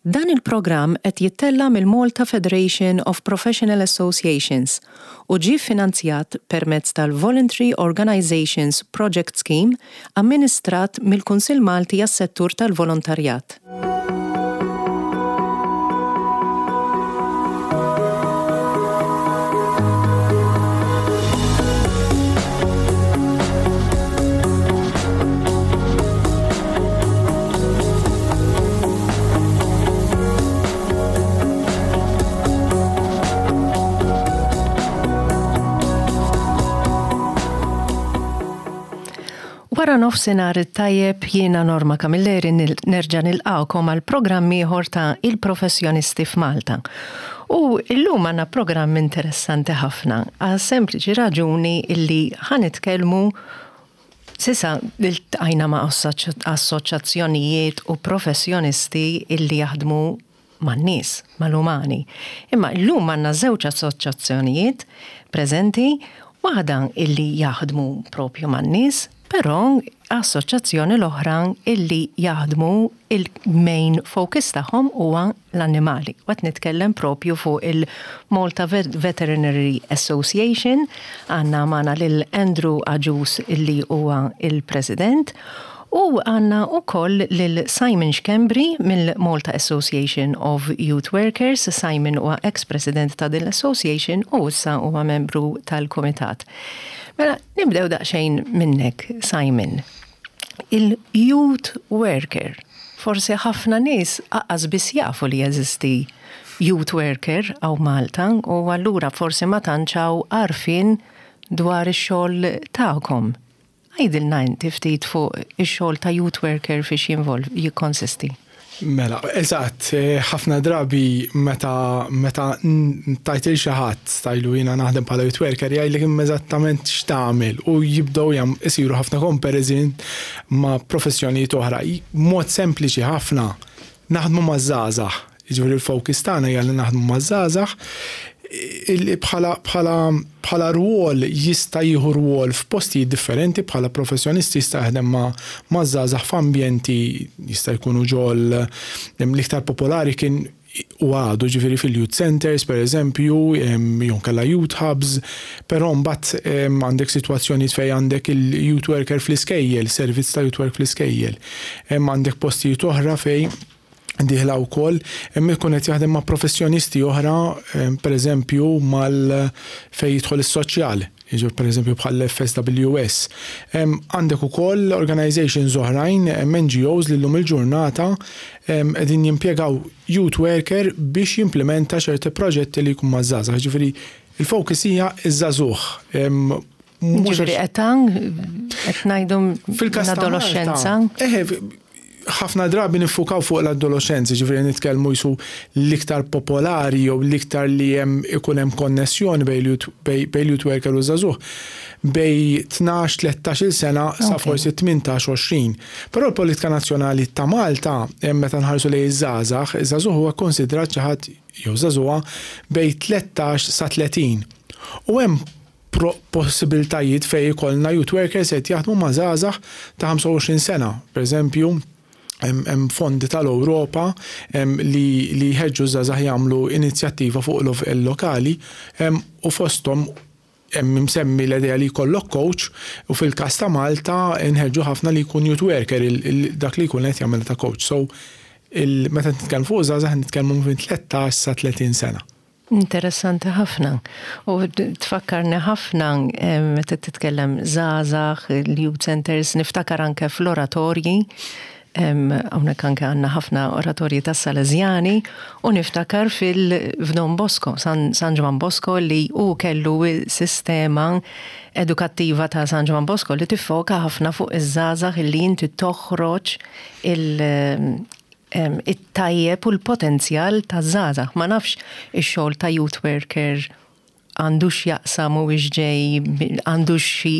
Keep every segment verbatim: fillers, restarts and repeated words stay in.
Dan il-programm qed jittella' mill-Malta Federation of Professional Associations u ġie finanzjat permezz tal-Voluntary Organizations Project Scheme amministrat mill-Kunsill Malti għas-Settur tal-Volontarjat. Wara nofsinhar it-tajjeb, jiena Norma Camilleri nerġa' nilqgħukom għal programm ieħor ta' Il-Professjonisti f'Malta. U illum għandna programm interessanti ħafna għal sempliċi raġuni illi ħa nitkellmu, s'issa iltqajna ma' assoċjazzjonijiet u professjonisti illi jaħdmu man-nies, mal-umani. Imma llum għandna żewġ assoċjazzjonijiet preżenti, waħda illi jaħdmu propju man-nies, però assoċjazzjoni l-oħra illi jaħdmu, il-main focus tagħhom huwa l-annimali. Qed nitkellem propju fuq il-Malta Veterinary Association, għandna magħna lil Andrew Agius illi huwa il-President, u għandna ukoll lil Simon Schembri mill-Malta Association of Youth Workers. Simon huwa ex-president ta' din l-association u issa huwa membru tal-komitat. Mela, nibdew daqsxejn minnek, Simon. Il-youth worker. Forsi ħafna nies lanqas biss jafu li jeżisti youth worker hawn Malta u allura forsi ma tantx hawn għarfien dwar ix-xogħol tagħkom. Għidilna inti ftit fuq ix-xogħol ta' youth worker fiex jinvolv jikkonsisti. Mela, eżatt, eh, ħafna drabi meta meta tgħid lil xi ħadd tgħidlu jiena naħdem bħala youth worker, jgħidlek imma eżattament x'tagħmel u jibdew jam isiru ħafna comparison ma' professjonijiet oħra. Mod sempliċi ħafna, naħdmu ma' żgħażagħ. Jiġifieri l-focus tagħna hija li naħdmu ma' żgħażagħ bħala bħala bħala rwol. Jista' jieħu rwol f'postijiet differenti bħala professjonisti, jista' jaħdem ma' ma' żgħażagħ f'ambjenti, jista' jkunu ġol, l-iktar popolari kien u għadu ġifieri fil-youth centers per eżempju, jew kella youth hubs, però mbagħad għandek sitwazzjonijiet fejn għandek il-youth worker fl-iskejjel, servizz ta' youth work fl-iskejjel. Għandek postijiet oħra fejn dieħla wkoll hemm ikun qed jaħdem ma' professjonisti oħra, per eżempju mal fejn jidħol is-soċjal, jiġu per eżempju bħal F S W S. Għandek ukoll organizations oħrajn, N G Os li llum il-ġurnata qegħdin jimpjegaw youth worker biex jimplementa ċerti proġetti li jkun maż-żgħażagħ. Ġifieri il-focus hija iż-żagħżugħ. Ġifieri età qed ngħidu l-adolescenza. Eħe, ħafna drabi niffukaw fuq l-adolescenzi, ġifieri nitkellmu jisu l-iktar popolari jew l-iktar li hemm ikun hemm konnessjoni bejn youth worker u żagħżugħ bejn tnax tlettax-il sena sa forsi tmintax għoxrin. Però l-politika nazzjonali ta' Malta, meta nħarsu lejn iż-żgħażagħ, iż-żagħżugħ huwa konsidrat xi ħadd jew żagħżugħa bejn tlettax sa tletin. U hemm possibiltajiet fejn ikollna youth workers qed jaħdmu ma' żgħażagħ ta' ħamsa u għoxrin sena. Per eżempju, hemm fondi tal-Ewropa li li jħeġġu żgħażagħ jagħmlu inizjattiva fuq livell lokali u fosthom hemm imsemmi l-idea li jkollok coach, u fil-każ ta' Malta nħeġġu ħafna li jkun youth worker dak li jkun qed jagħmel ta' coach. So meta nitkellmu fuq żgħażagħ, nitkellmu minn tlettax sa tletin sena. Interessanti ħafna. U tfakkarni ħafna meta titkellem żgħażagħ, il-youth centers, niftakar anke fl-oratorji. Hawnhekk anke għandna ħafna oratorji tas Salesjani u niftakar fil-F'Don Bosco, San, San Ġwann Bosco, li u kellu sistema edukattiva ta' San Ġwann Bosco li tiffoka ħafna fuq iż-żgħażagħ, li inti toħroġ il- it-tajjeb u l-potenzjal ta' żgħażagħ. Ma nafx ix-xogħol ta' youth worker għandu x'jaqsam u ġej, għandu xi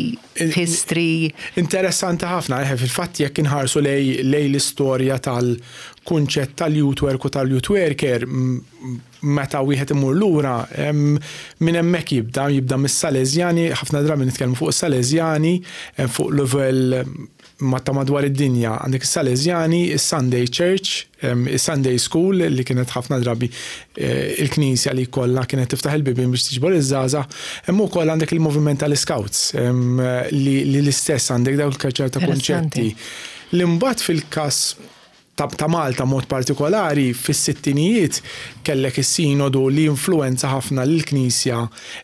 history. Interessanti ħafna, eħe, fil-fatt jekk inħarsu lejn lej l-istorja tal-kunċett tal-youth work u tal-youth worker, meta wieħed imur lura, minn hemmhekk jibda, jibda mis-Salesjani, ħafna drabi nitkellmu fuq is-Salesjani, fuq level ma ta' madwar id-dinja. Għandek is-Salesjani, is-Sunday Church, is-Sunday School li kienet ħafna drabi eh, il-knisja li kollha kienet tiftaħ il-bibien biex tiġbor iż-żgħażagħ. Hemm ukoll għandek il-moviment tal-Scouts li l-istess għandek dawk ċerta kunċetti. Li mbagħad fil-każ ta', ta' Malta mod partikolari, fis-sittinijiet kellek is-sinodu li influenza ħafna l-Knisja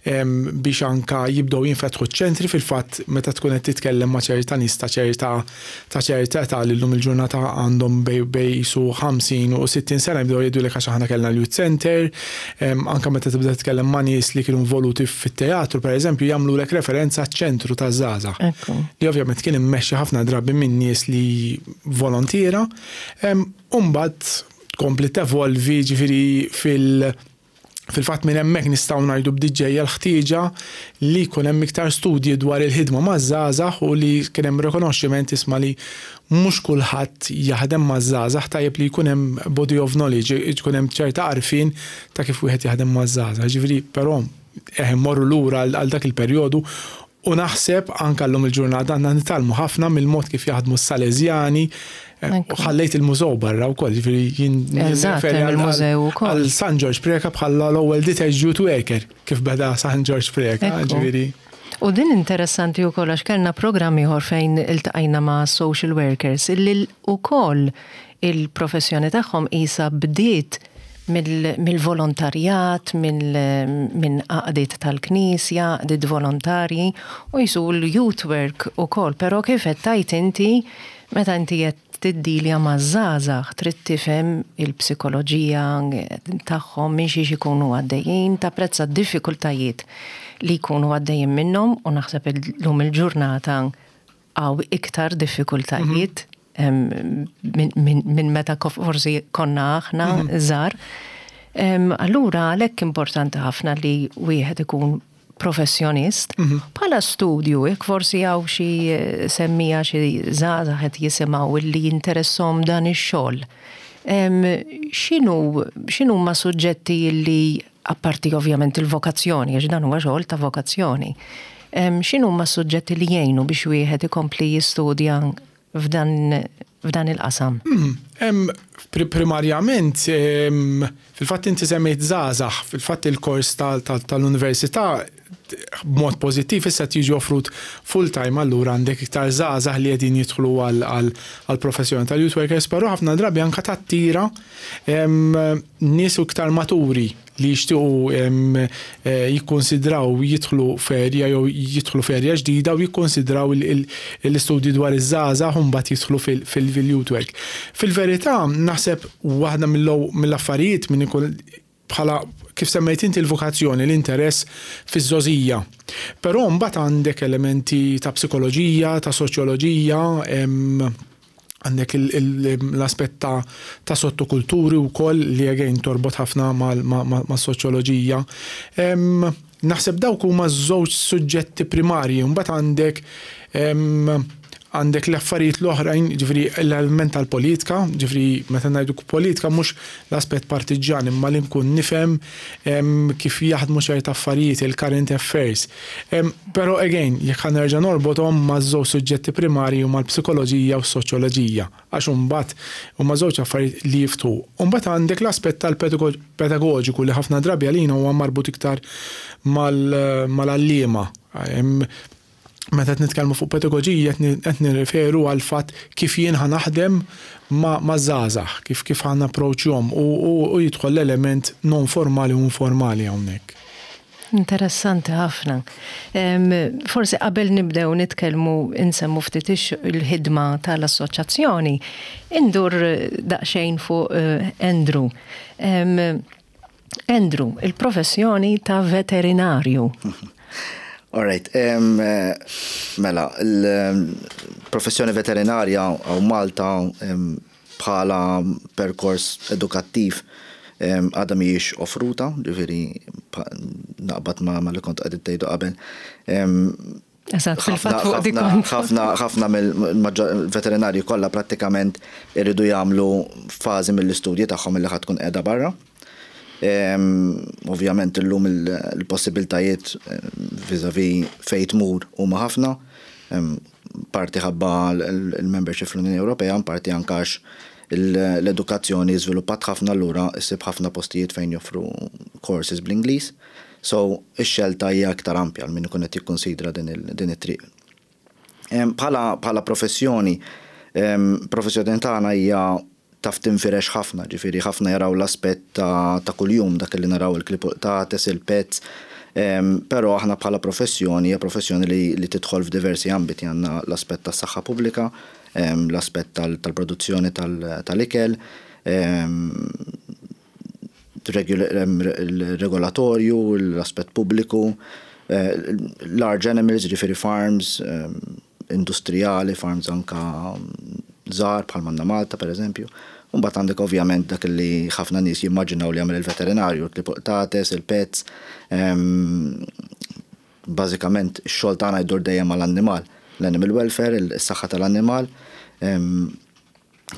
biex anka jibdew jinfetħu ċentri. Fil-fatt, meta tkun qed titkellem ma' ċerta nies ta' ċerta ta' ċerta età li llum il-ġurnata għandhom bejn bejn su ħamsin u sittin sena, jibdew jgħidulek għax aħna kellna l-youth center. Anka meta tibda titkellem ma' nies li kienu involuti fit-teatru, pereżempju, jagħmlulek referenza ċentru ta' żgħażagħ. Li ovvjament kien immexxi ħafna drabi minn nies li volontiera. Umbagħad tkompli tevolvi, ġifieri fil- Fil-fatt minn hemmhekk nistgħu ngħidu bdiet ġejja l-ħtieġa li jkun hemm iktar studji dwar il-ħidma maż-żgħażagħ u li kien hemm rikonoxximent, isma', li mhux kulħadd jaħdem maż-żgħażagħ, tajjeb li jkun hemm body of knowledge, jkun hemm ċerta għarfien ta' kif wieħed jaħdem maż-żgħażagħ. Ġifieri, però eh morru lura għal dak il-perjodu u naħseb anka llum il-ġurnata għandna nitgħallmu ħafna mill-mod kif jaħdmu s-Salesjani. U ħallejt il-mużew barra wkoll, ġifieri jien għal San George Preca bħala l-ewwel detached youth worker, kif beda San George Preca, ġifieri. U din interessanti wkoll għax kellna programm ieħor fejn iltqajna ma' social workers illi wkoll il-professjoni tagħhom isa bdiet mill-volontarjat, minn għaqdiet tal-knisja, għaqdiet volontarji, u jisu l-youth work ukoll, però kif qed tgħid inti, meta inti qed tiddilja ma' żgħażagħ, trid tifhem il-psikoloġija tagħhom, minn xiex ikunu għaddejjin, tapprezza d-diffikultajiet li jkunu għaddejjin minnhom, u naħseb illum il-ġurnata hawn iktar diffikultajiet minn meta forsi konna aħna żgħar. Allura għalhekk importanti ħafna li wieħed ikun professjonist. Bħala studju, jekk forsi hawn xi semmija, xi żgħażagħ qed jisimgħu li jinteressahom dan ix-xogħol. X'inhu x'inhu ma suġġetti li, apparti ovvjament il-vokazzjoni, għax dan huwa xogħol ta' vokazzjoni, x'inhu ma suġġetti li jgħinu biex wieħed ikompli jistudja f'dan f'dan il-qasam? Mm, primarjament, fil-fatt inti semmejt żgħażagħ, fil-fatt il-kors tal-università b'mod pożittiv issa tiġi offrut full time, allura għandek iktar żgħażagħ li qegħdin jidħlu għal professjoni tal-youth workers, però ħafna drabi anka tattira nies iktar maturi li jixtiequ eh, jikkonsidraw jidħlu f'area jew jidħlu f'area ġdida u jikkonsidraw l-istudji dwar iż-żgħażagħ u mbagħad jidħlu fil-youth work. Fil-verità, naħseb waħda mill-affarijiet minn ikun bħala, kif semmejt inti, l-vokazzjoni, l-interess fiż-żgħożija. Però mbagħad għandek elementi ta' psikoloġija, ta' soċjoloġija, għandek l-aspett ta', ta sottokulturi u koll li again torbot ħafna ma' soċjoloġija. Naħseb dawk huma żewġ suġġetti primarji, mbagħad għandek għandek l-affarijiet l-oħrajn, ġifieri l-element tal-politika, ġifieri meta ngħidu politika mhux l-aspett partiġjan, imma li nkun nifhem kif jaħdmu ċerta affarijiet, il-current affairs. Però again, jekk ħa nerġa' norbothom ma' żewġ suġġetti primarji u mal-psikoloġija u s-soċjoloġija, għax imbagħad huma żewġ affarijiet li jiftħu. Imbagħad għandek l-aspett tal-pedagoġiku li ħafna drabi għalina huwa marbut iktar mal-għalliema. Meta qed nitkellmu fuq pedagoġija, qed nirreferu għal fatt kif jien ħa naħdem ma' żgħażagħ, kif kif ħa napproċċjahom u, u jidħol l-element non formali u informali hawnhekk. Interessanti ħafna. Forsi qabel nibdew nitkellmu, insemmu ftit il-ħidma tal-assoċjazzjoni, indur daqsxejn fuq eh, Andrew. Andrew, il-professjoni ta' veterinarju. All right, um, mela, il-professjoni veterinarja hawn Malta um, bħala perkors edukattiv għadha mhijiex offruta, ġifieri naqbad ma, ma li kont qed tgħidu qabel. Eżatt, fil-fatt fuq dik. Ħafna ħafna mill-veterinarji kollha prattikament iridu jagħmlu fażi mill-istudji tagħhom li ħa tkun qiegħda barra. Ovvjament illum il-possibiltajiet vis-a-vis fejn tmur huma ħafna. Parti ħabba l-membership fl-Unjoni Ewropea, parti anke għax l-edukazzjoni żviluppat ħafna, allura issib ħafna postijiet fejn joffru courses bl-Ingliż. So, ix-xelta hija aktar ampja għal min ikun qed jikkonsidra din it-triq. Bħala professjoni, professjoni tagħna hija taf tinfirex ħafna, ġifieri ħafna jaraw l-aspett ta' kuljum, dak li naraw il-klieb, qtates, il-pets, però aħna bħala professjoni hija professjoni li tidħol f'diversi ambiti. Għandna l-aspett tas-saħħa pubblika, l-aspett tal-produzzjoni tal-ikel, regolatorju, l-aspett pubbliku, eh, large animals, ġifieri farms, industrijali, farms anka żgħar bħal m'għandna Malta, per eżempju. Mbagħad għandek ovvjament dak li ħafna nies jimmaġinaw li jagħmel il-veterinarju, il-qtates, il-pets. Bażikament ix-xogħol tagħna jdur dejjem mal-annimal, l-animal welfare, is-saħħa tal-annimal,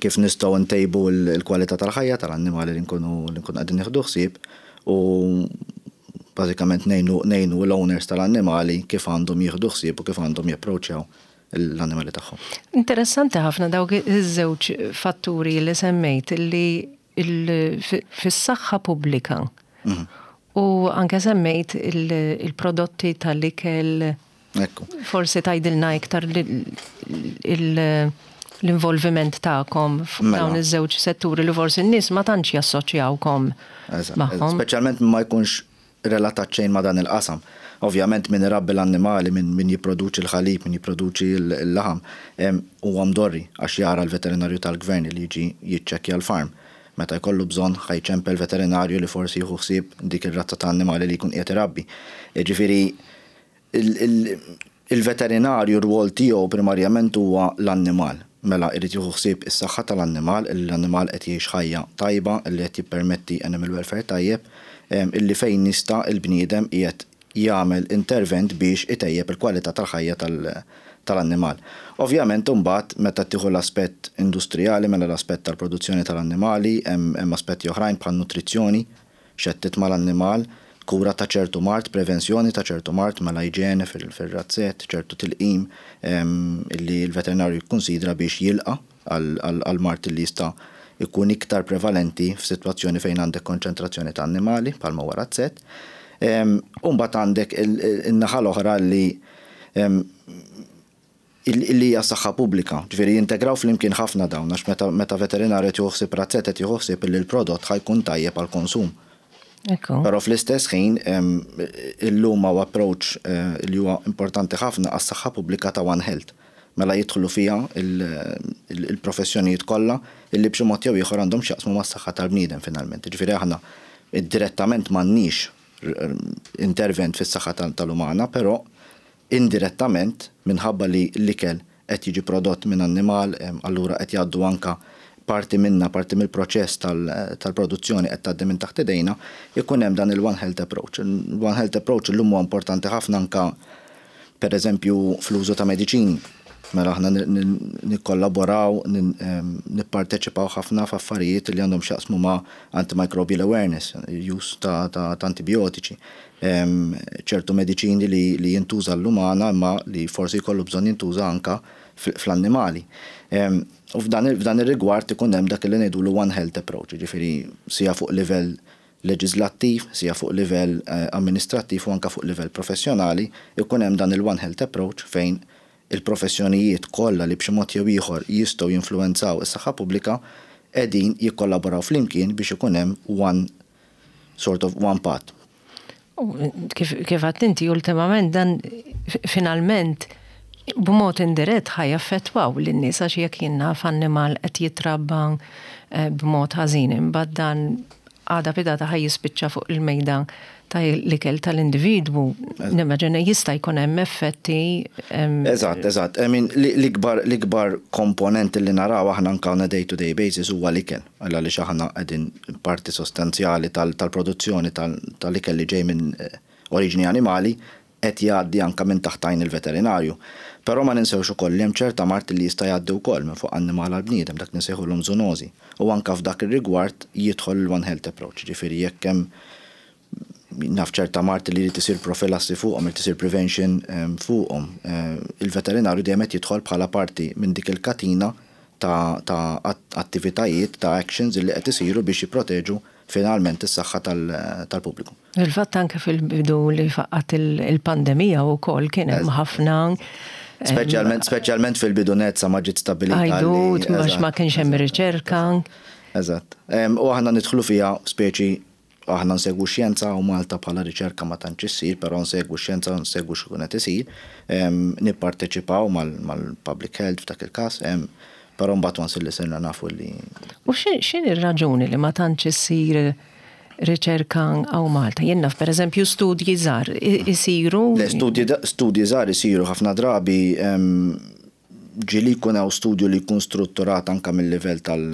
kif nistgħu ntejbu l-kwalità tal-ħajja tal-annimali li nkunu li nkunu qegħdin nieħdu ħsieb u bażikament ngħinu l-owners tal-annimali kif għandhom jieħdu ħsieb u kif għandhom japproċċjaw l-annimali tagħhom. Interessanti ħafna dawk iż-żewġ fatturi li semmejt, li fis-saħħa pubblika mhm. u anke semmejt il-prodotti tal-ikel. Ekku. Forsi tgħidilna iktar l-involviment tagħkom Mela. f'dawn iż-żewġ setturi li forsi n-nies ma tantx jassoċjawkom Eżatt. magħhom. Speċjalment ma jkunx relatat xejn ma dan il-qasam. Ovvjament min irabbi l-annimali, min, min jipproduċi l-ħalib, min jipproduċi l-laħam, huwa mdorri għax jara l-veterinarju tal-gvern li jiġi jiċċekkja l-farm. Meta jkollu bżonn, ħa jċempel veterinarju li forsi jieħu ħsieb dik ir-razza ta' annimali li jkun qiegħed irabbi. Ġifieri il-veterinarju r-rwol tiegħu primarjament huwa l-annimal. Mela irid jieħu ħsieb is-saħħa tal-annimal, l-annimal qed jgħix ħajja tajba, li qed jippermetti animal welfare tajjeb, illi fejn nista' il-bniedem qiegħed jagħmel intervent biex itejjeb il-kwalità tal-ħajja tal-annimal. Ovvjament imbagħad meta tieħu l-aspett industrijali, mela l-aspett tal-produzzjoni tal-annimali, hemm aspetti oħrajn bħal nutrizzjoni, x'qed mal-annimal, kura ta' ċertu mard, prevenzjoni ta' ċertu mard, mela iġene fil-razzett, ċertu tilqim illi l-veterinarju jikkonsidra biex jilqa għal mard li jista' ikun iktar prevalenti f'sitwazzjoni fejn għandek konċentrazzjoni ta' annimali bħalma huwa razzett. Umbagħad għandek in-naħa l-oħra li illi hija saħħa pubblika, ġifieri jintegraw flimkien ħafna dawn, għax meta veterinarju qed jieħu ħsieb razzett, qed jieħu ħsieb illi l-prodott ħa jkun tajjeb għall-konsum. Però fl-istess ħin illum hawn approach eh, li huwa importanti ħafna għas-saħħa pubblika ta' One Health. Mela jidħlu fiha il-professjonijiet kollha illi b'xi mod jew ieħor għandhom x'jaqsmu mas-saħħa tal-bniedem finalment. Ġifieri aħna direttament m'għandniex intervent fis-saħħa tal-umana, però indirettament, minħabba li l-ikel qed jiġi prodott minn annimal, allura qed jgħaddu anka parti minna, parti mill-proċess tal-produzzjoni qed tgħaddi minn taħt idejna, ikun hemm dan il-One Health Approach. Il-One Health Approach illum huwa importanti ħafna anka, per eżempju, fl-użu ta' mediċini. Mela aħna nikkollaboraw, nipparteċipaw ħafna f'affarijiet li għandhom x'jaqsmu ma' antimicrobial awareness, use ta' antibiotiċi. ċertu mediċini li jintuża l-umana imma li forsi jkollu bżonn jintuża anka fl-annimali. U f'dan ir-rigward ikun hemm dak li ngħidulu One Health Approach, ġifieri sija fuq livell leġislattiv, sija fuq livell eh, amministrattiv u anka fuq livell professjonali, ikun hemm dan il-One Health Approach fejn il-professjonijiet kollha li b'xi mod jew ieħor jistgħu jinfluwenzaw is-saħħa pubblika qegħdin jikkollaboraw flimkien biex ikun hemm one sort of one path. Kif kif inti, ultimament dan finalment b'mod indirett ħa jaffettwaw lin-nies, għax jekk jien naf annimal qed jitrabba eh, b'mod ħażin, imbagħad dan għada pitgħada ħa jispiċċa fuq il-mejda ta' l-ikel tal-individwu, nimmaġina jista' jkun hemm effetti. Eżatt, eżatt. I mean, l-ikbar l-ikbar komponent li naraw aħna anka on a day-to-day basis huwa l-ikel. Għalla li aħna qegħdin parti sostanzjali tal-produzzjoni tal-ikel li ġej minn eh, oriġini animali qed jgħaddi anka minn taħt għajn il-veterinarju. Però ma ninsewx ukoll li hemm ċerta mard li jista' jgħaddi wkoll minn fuq annimal għal bniedem, dak nsejħulhom zoonożi. U anka f'dak ir-rigward jidħol il-One Health Approach, ġifieri jekk hemm Naf ċerta mard li jrid isir profilassi fuqhom, irid isir prevention fuqhom. Il-veterinarju dejjem qed jidħol bħala parti minn dik il-katina ta', ta attivitajiet, ta' actions li qed isiru biex jipproteġu finalment is-saħħa tal-pubbliku. Il-fatt anke fil-bidu li faqqat il-pandemija u kol kien hemm ħafna Speċjalment speċjalment fil-bidu net sa ma ġiet stabbilita. Għajdut, għax ma kienx hemm riċerka. Eżatt. U aħna nidħlu fiha speċi aħna nsegwu xjenza u Malta bħala riċerka ma tantx issir, però nsegwu xjenza, nsegwu x'ikun qed isir, nipparteċipaw mal-public health f'dak il-każ, però mbagħad once li sirna nafu li. U x'in ir-raġuni li ma tantx issir riċerka hawn Malta? Jien naf, per eżempju, studji żgħar isiru. Le, studji żgħar isiru ħafna drabi. Ġieli jkun hawn studju li jkun strutturat anka mill-livell tal-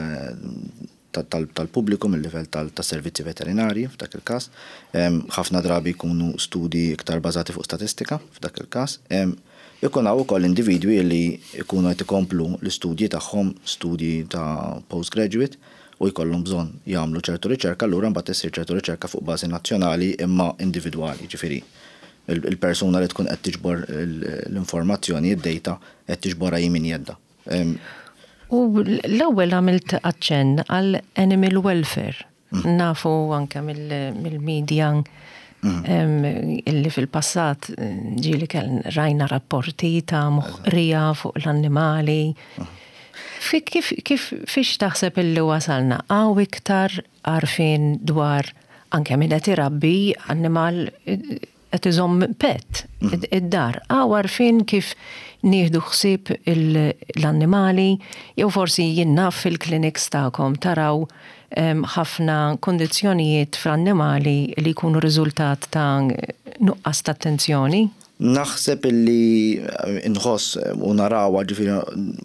tal-pubbliku, mill-livell tal-servizzi veterinari f'dak il-każ. Ħafna drabi jkunu studi iktar bażati fuq statistika f'dak il-każ. Ikun hawn ukoll individwi li jkunu qed ikomplu l-istudji tagħhom, studji ta' postgraduate, u jkollhom bżonn jagħmlu ċertu riċerka, allura mbagħad issir ċertu riċerka fuq bażi nazzjonali imma individwali, ġifieri il-persuna li tkun qed tiġbor l-informazzjoni, id-data, qed tiġborha hi minn jeddha. U l-ewwel għamilt aċċenn għal animal welfare. Mm. Nafu anke mill-medja mm. illi fil-passat ġieli kell rajna rapporti ta' moħqrija fuq l-annimali. Mm. Kif, kif, fiex taħseb illi wasalna? Hawn iktar għarfien dwar anke min qed irabbi annimal, qed iżomm pet id-dar? Hawn għarfien kif nieħdu ħsieb l-annimali, jew forsi jien naf fil-clinics tagħkom taraw ħafna kondizzjonijiet fl-annimali li jkunu riżultat ta' nuqqas ta' attenzjoni? Naħseb illi nħoss u naraw, ġifieri,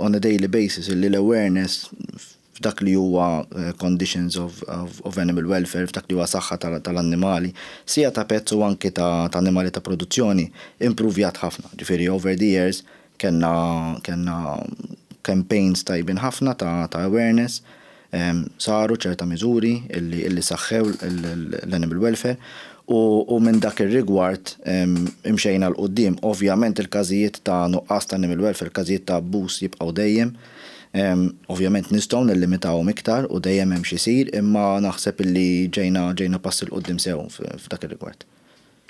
on a daily basis illi l-awareness f'dak li huwa eh, conditions of, of, of animal welfare, f'dak li huwa saħħa tal-annimali, sija ta' pets u anki ta', ta' annimali ta' produzzjoni, improvjat ħafna. Ġifieri over the years kellna kellna campaigns tajbin ħafna ta', ta' awareness, um, saru ċerta miżuri illi, illi saħħew l-animal welfare u, u minn dak ir-rigward um, imxejna 'l quddiem. Ovvjament il-każijiet ta' nuqqas ta' animal welfare, każijiet ta' abbuż jibqgħu dejjem. Um, ovvjament nistgħu nillimitawhom iktar u dejjem hemm xi jsir, imma naħseb illi ġejna ġejna pass 'il quddiem sew f'dak ir-rigward.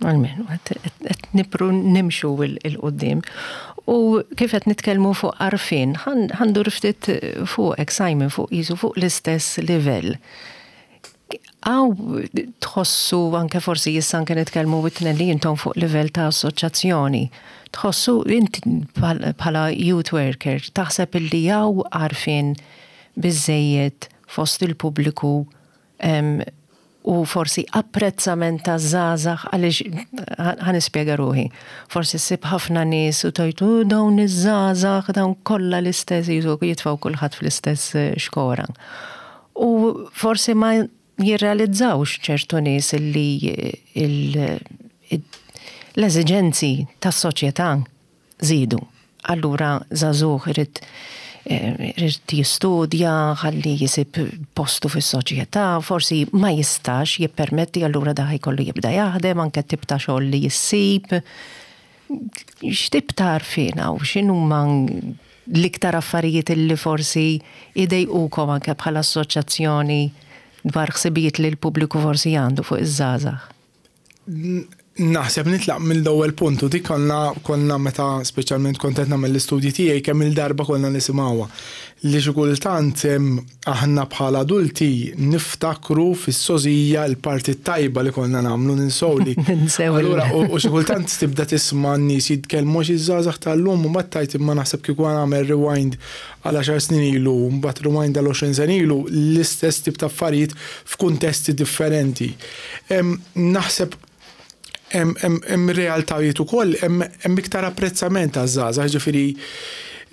Almenu, qed nipru nimxu 'l quddiem. U kif qed nitkellmu fuq għarfien, ħa ndur ftit fuq Simon, fuq jisu fuq l-istess livell. Hawn tħossu anke forsi issa anke nitkellmu it-tnejn li intom fuq livell ta' assoċjazzjoni? Tħossu inti bħala youth worker, taħseb illi hawn għarfien biżejjed fost il-pubbliku u forsi apprezzament ta' żgħażagħ? Għaliex, ħa nispjega ruħi, forsi ssib ħafna nies u tgħid, "Dawn iż-żgħażagħ, dawn kollha l-istess", jisu jitfgħu kulħadd fl-istess eh, xkora. U forsi ma jirrealizzawx ċertu nies illi l-eżiġenzi tas-soċjetà żiedu. Allura żagħżugħ irid irid jistudja, ħalli jisib postu fis-soċjetà, forsi ma jistax jippermetti, allura da jkollu jibda jaħdem, anke tip ta' xogħol li jissib. X'tip ta' għarfien u x'inhuma l-iktar affarijiet li forsi idejqukom anke bħala assoċjazzjoni dwar ħsibijiet li l-pubbliku forsi għandu fuq iż-żgħażagħ? Naħseb nitlaq mill-ewwel punt u dik konna konna meta speċjalment kont qed nagħmel l-istudji tiegħi, kemm il-darba konna nisimgħuha. Li xi kultant aħna bħala adulti niftakru fis-żgħożija l-parti tajba li konna nagħmlu, ninsew li. Allura u xi kultant tibda tisma' n-nies jitkellmu xi żgħażagħ tal-lum u mbagħad tgħid, imma naħseb kieku nagħmel rewind għal għaxar snin ilu, mbagħad rewind għal għoxrin sena ilu, l-istess tip ta' affarijiet f'kuntesti differenti. Naħseb hemm realtajiet ukoll, hemm iktar apprezzament għaż-żgħażagħ, ġifieri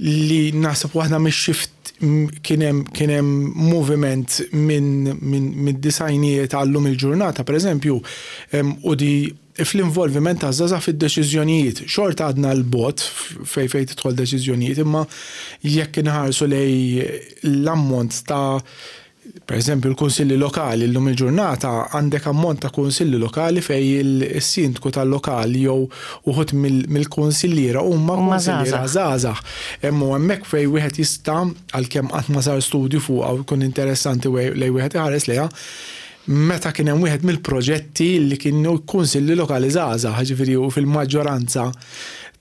li naħseb waħda mix-shift kien hemm kien hemm moviment minn minn disgħinijiet għal-lum il-ġurnata, pereżempju, u di fl-involviment ta' żgħażagħ fid-deċiżjonijiet. Xorta għadna 'l bogħod fej fej tidħol deċiżjonijiet, imma jekk inħarsu lejn l-ammont ta' Per eżempju, l-kunsilli lokali llum il-ġurnata għandek ammont ta' kunsilli lokali fejn il-sindku tal-lokali jew uħud mill-kunsilliera huma kunsilliera żgħażagħ. Hemm hemmhekk fejn wieħed jista', għalkemm qatt ma sar studju fuq u jkun interessanti lej wieħed iħares lejha, meta kien hemm wieħed mill-proġetti li kienu kunsilli lokali żgħażagħ, ġifieri u fil-maġġoranza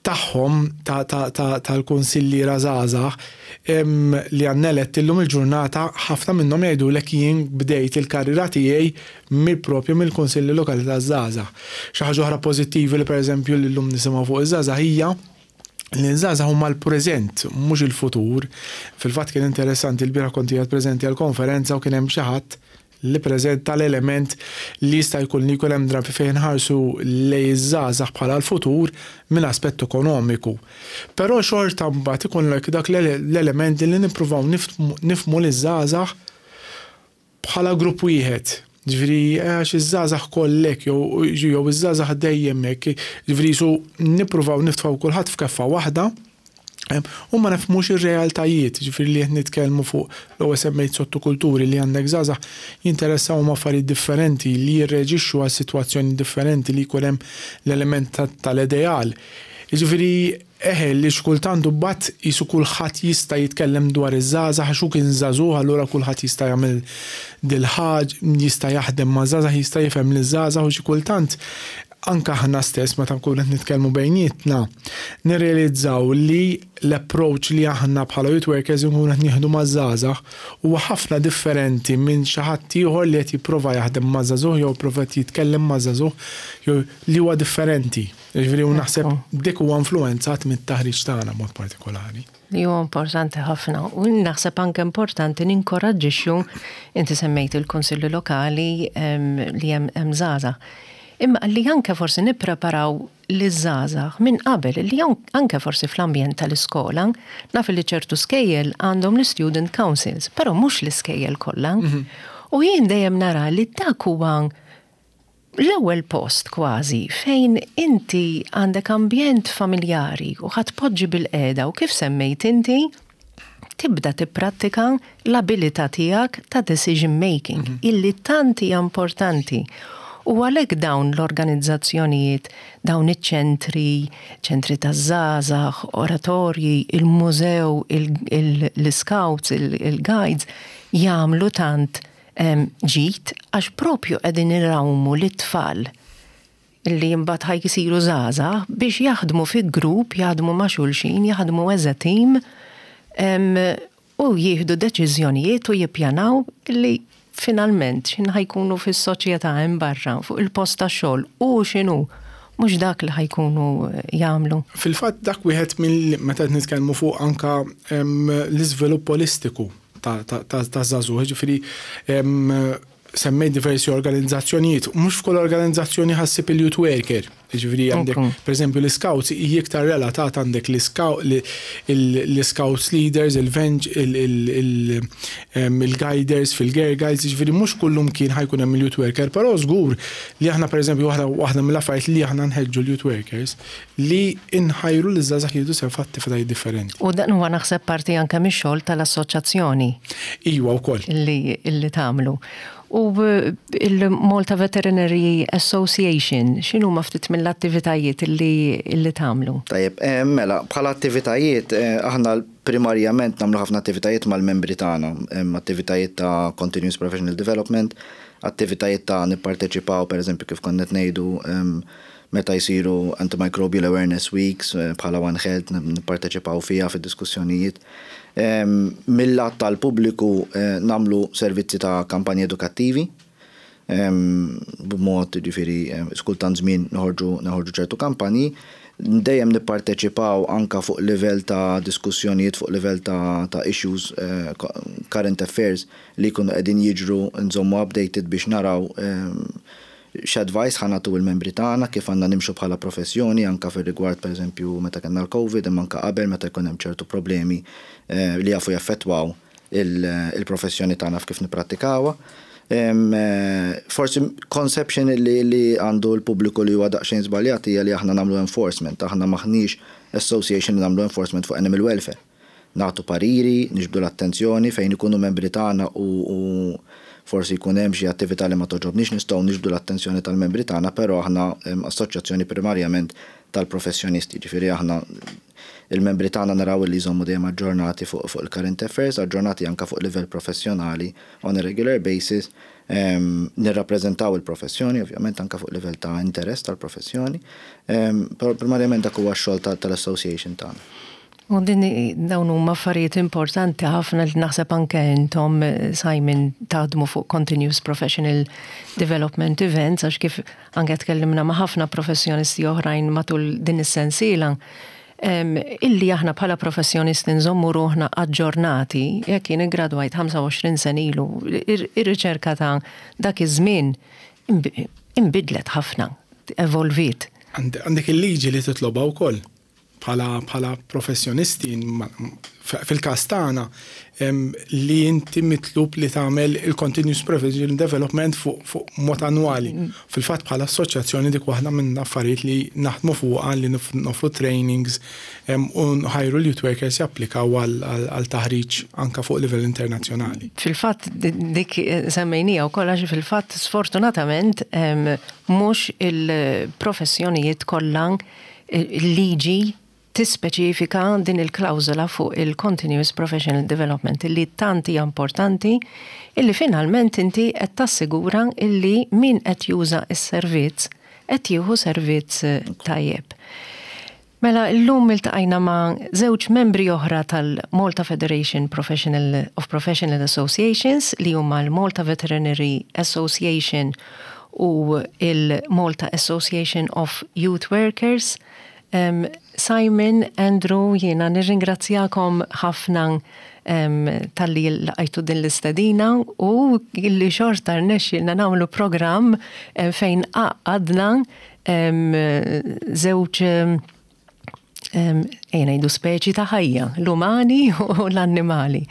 tagħhom tal-kunsilliera żgħażagħ li għandna eletti llum il-ġurnata, ħafna minnhom jgħidulek jien bdejt il-karriera tiegħi mill-propju mill-kunsilli lokali taż-żgħażagħ. Xi ħaġa oħra pożittivi li pereżempju li llum nisimgħu fuq iż-żgħażagħ hija li l-żgħażagħ huma l-preżent, mhux il-futur. Fil-fatt kien interessanti, l-bieraħ kont qiegħed preżenti għal-konferenza u kien hemm xi ħadd li preżenta l-element li jista' jkun li jkun hemm drabi fejn ħarsu lejn iż-żgħażagħ bħala l-futur minn aspett ekonomiku. Però xorta mbagħad ikun dak l-element li nippruvaw nifhmu liż-żgħażagħ bħala grupp wieħed. Ġifieri għax iż-żgħażagħ kollek jew jew iż-żgħażagħ dejjem hekk, ġifieri su nippruvaw niftfgħu kulħadd f'keffa waħda u ma nifhmux ir-realtajiet, ġifieri li qed nitkellmu fuq l-ewwel semmejt sottokulturi li għandek żgħażagħ jinteressaw ma' affarijiet differenti, li jirreġixxu għal sitwazzjoni differenti, li jkun hemm l-element tal-ideal. Ġifieri eħe li xkultant bat jisu kulħadd jista' jitkellem dwar iż-żgħażagħ għax hu kien żagħżugħ, allura kulħadd jista' jagħmel dil-ħaġa, jista' jaħdem ma' żgħażagħ, jista' jifhem liż-żgħażagħ, u xi kultant anka aħna stess meta nkunu qed nitkellmu bejnietna nirrealizzaw li l-approach li aħna bħala youth workers nkunu qed nieħdu maż-żgħażagħ huwa ħafna differenti minn xi ħadd ieħor li qed jipprova jaħdem maż-żagħżugħ jew prova jitkellem maż-żagħżugħ jew li huwa differenti. Ġifieri u naħseb dik huwa influenzat mit-taħriġ tagħna mod partikolari. Li huwa importanti ħafna u naħseb anke importanti ninkoraġġixxu, inti semmejt il-kunsilli lokali li hemm żgħażagħ. Imma li anke forsi nippreparaw liż-żgħażagħ minn qabel, li anke forsi fl-ambjent tal-iskola, naf li ċertu skejjel għandhom l-student councils, però mhux l-iskejjel kollha. Mhm. U jien dejjem nara li dak huwa l-ewwel post kważi fejn inti għandek ambjent familjari u ħadd poġġi bil-qeda u, kif semmejt inti, tibda tipprattika l-abilità tiegħek ta' decision making, mm -hmm. illi tant hija importanti. U għalhekk dawn l-organizzazzjonijiet, dawn iċ-ċentri, ċentri ta' żgħażagħ, oratorji, il-mużew, l-scouts, il-guides, jagħmlu tant ġid għax propju qegħdin irawmu lit-tfal li mbagħad ħa jsiru żgħażagħ biex jaħdmu fi grupp, jaħdmu ma' xulxin, jaħdmu as a team u jieħdu deċiżjonijiet u jippjanaw li finalment xin ħa jkunu fis-soċjetà hemm barra fuq il-post ta' xogħol u x'inhu mhux dak li ħa jkunu jagħmlu. Fil-fatt dak wieħed minn meta nitkellmu fuq anka l-iżvilupp holistiku ta' żagħżugħ, ġifieri semmejt diversi organizzazzjonijiet, mhux f'kull organizzazzjoni ħa ssib il-youth worker. Ġifieri għandek, per eżempju, l-scouts hija iktar relatat, għandek l-scouts leaders, il-guiders fil-girl guides, ġifieri mhux kullum kien ħa jkun hemm il-youth worker, però żgur li aħna, per eżempju, waħda mill-affarijiet li aħna nħeġġu l-youth workers li inħajru l-żgħażagħ jieħdu sehem f'attivitajiet differenti. U dan huwa naħseb parti anke mix-xogħol tal-assoċjazzjoni. Iwa wkoll. Li tagħmlu. U il-Malta Veterinary Association, x'inhu ma ftit mill-attivitajiet li, li tagħmlu? Tajjeb, eh, mela, bħala attivitajiet, eh, aħna primarjament nagħmlu ħafna attivitajiet mal-membri tagħna, attivitajiet ta' continuous professional development, attivitajiet ta' nipparteċipaw, per eżempju, kif konna ngħidu, meta jsiru Antimicrobial Awareness Weeks eh, bħala One Health nipparteċipaw fiha fid-diskussjonijiet. Mill-lat tal-pubbliku eh, nagħmlu servizzi ta' kampanji edukattivi, b'mod ġifieri skultant żmien noħorġu noħorġu ċertu kampanji, dejjem nipparteċipaw anka fuq livell ta' diskussjonijiet, fuq livell ta', ta issues, uh, current affairs li jkunu qegħdin jiġru, nżommu updated biex naraw um, x'advice ħa nagħtu il-membri tagħna, kif għandna nimxu bħala professjoni anka fir-rigward, pereżempju, meta kellna l-Covid, imma anka qabel, meta jkun hemm ċertu problemi eh, li jafu jaffettwaw il-professjoni tagħna f'kif nipprattikawha. Eh, forsi conception li, li għandu l-pubbliku li huwa daqsxejn żbaljat hija li aħna nagħmlu enforcement, aħna maħniex association li nagħmlu enforcement fuq animal welfare. Nagħtu pariri, niġbdu l-attenzjoni fejn ikunu membri tagħna u, u forsi jkun hemm xi attività li ma togħġobniex, nistgħu niġbdu l-attenzjoni tal-membri tagħna, però aħna assoċjazzjoni primarjament tal-professjonisti, ġifieri aħna il-membri tagħna naraw li jżommu dejjem aġġornati fuq fuq il-current affairs, aġġornati anka fuq livell professjonali on a regular basis, nirrappreżentaw il-professjoni, ovvjament anka fuq livell ta' interess tal-professjoni, però primarjament dak huwa x-xogħol tal-association tagħna. U din dawn huma affarijiet importanti ħafna li naħseb anke intom, Simon, taħdmu fuq Continuous Professional Development Events, għax kif anke tkellimna ma' ħafna professjonisti oħrajn matul din is-sensiela, illi aħna bħala professjonisti nżommu ruħna aġġornati. Jekk jien iggradwajt ħamsa u għoxrin sena ilu, ir-riċerka ta' dak iż-żmien imbidlet ħafna, evolvit. Għandek il-liġi li titloba wkoll bħala bħala professjonisti, fil-każ tagħna, li inti mitlub li tagħmel il-continuous professional development fuq fu mod annwali. Mm. Fil-fatt bħala assoċjazzjoni dik waħda minn affarijiet li naħdmu fuqha, li nofru trainings u nħajru l-youth workers japplikaw għal taħriġ anka fuq livell internazzjonali. Fil-fatt dik semmejnija wkoll għax fil-fatt sfortunatament mhux il-professjonijiet kollha il-liġi tispeċifika din il-klawżola fuq il-Continuous Professional Development illi tant hija importanti, illi finalment inti qed tassigura illi min qed juża s-servizz qed jieħu servizz tajjeb. Mela, llum iltqajna ma' żewġ membri oħra tal-Malta Federation Professional of Professional Associations, li huma l-Malta Veterinary Association u il-Malta Association of Youth Workers. Um, Simon, Andrew, jiena nirringrazzjakom ħafna um, talli lqajtu din l-istedina u illi xorta rnexxilna nagħmlu programm um, fejn għaqqadna żewġ ejja ngħidu speċi ta' ħajja, l-umani u l-annimali.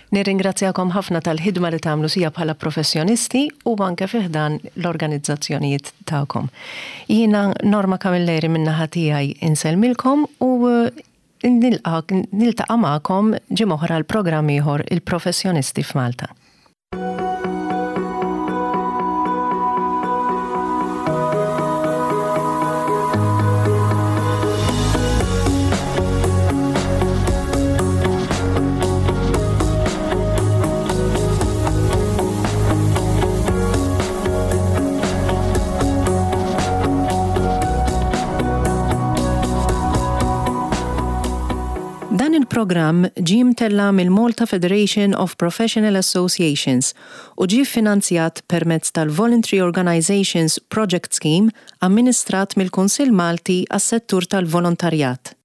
Nirringrazzjakom ħafna tal-ħidma li tagħmlu sija bħala professjonisti u anke fi ħdan l-organizzazzjonijiet tagħkom. Jiena Norma Camilleri min-naħa tiegħi insellmilkom u niltaqa' magħkom ġimgħa oħra l-programm ieħor, Il-Professjonisti f'Malta. Dan il-programm ġie mtella' mill-Malta Federation of Professional Associations u ġie finanzjat permezz tal-Voluntary Organizations Project Scheme amministrat mill-Kunsill Malti għas-settur tal-volontarjat.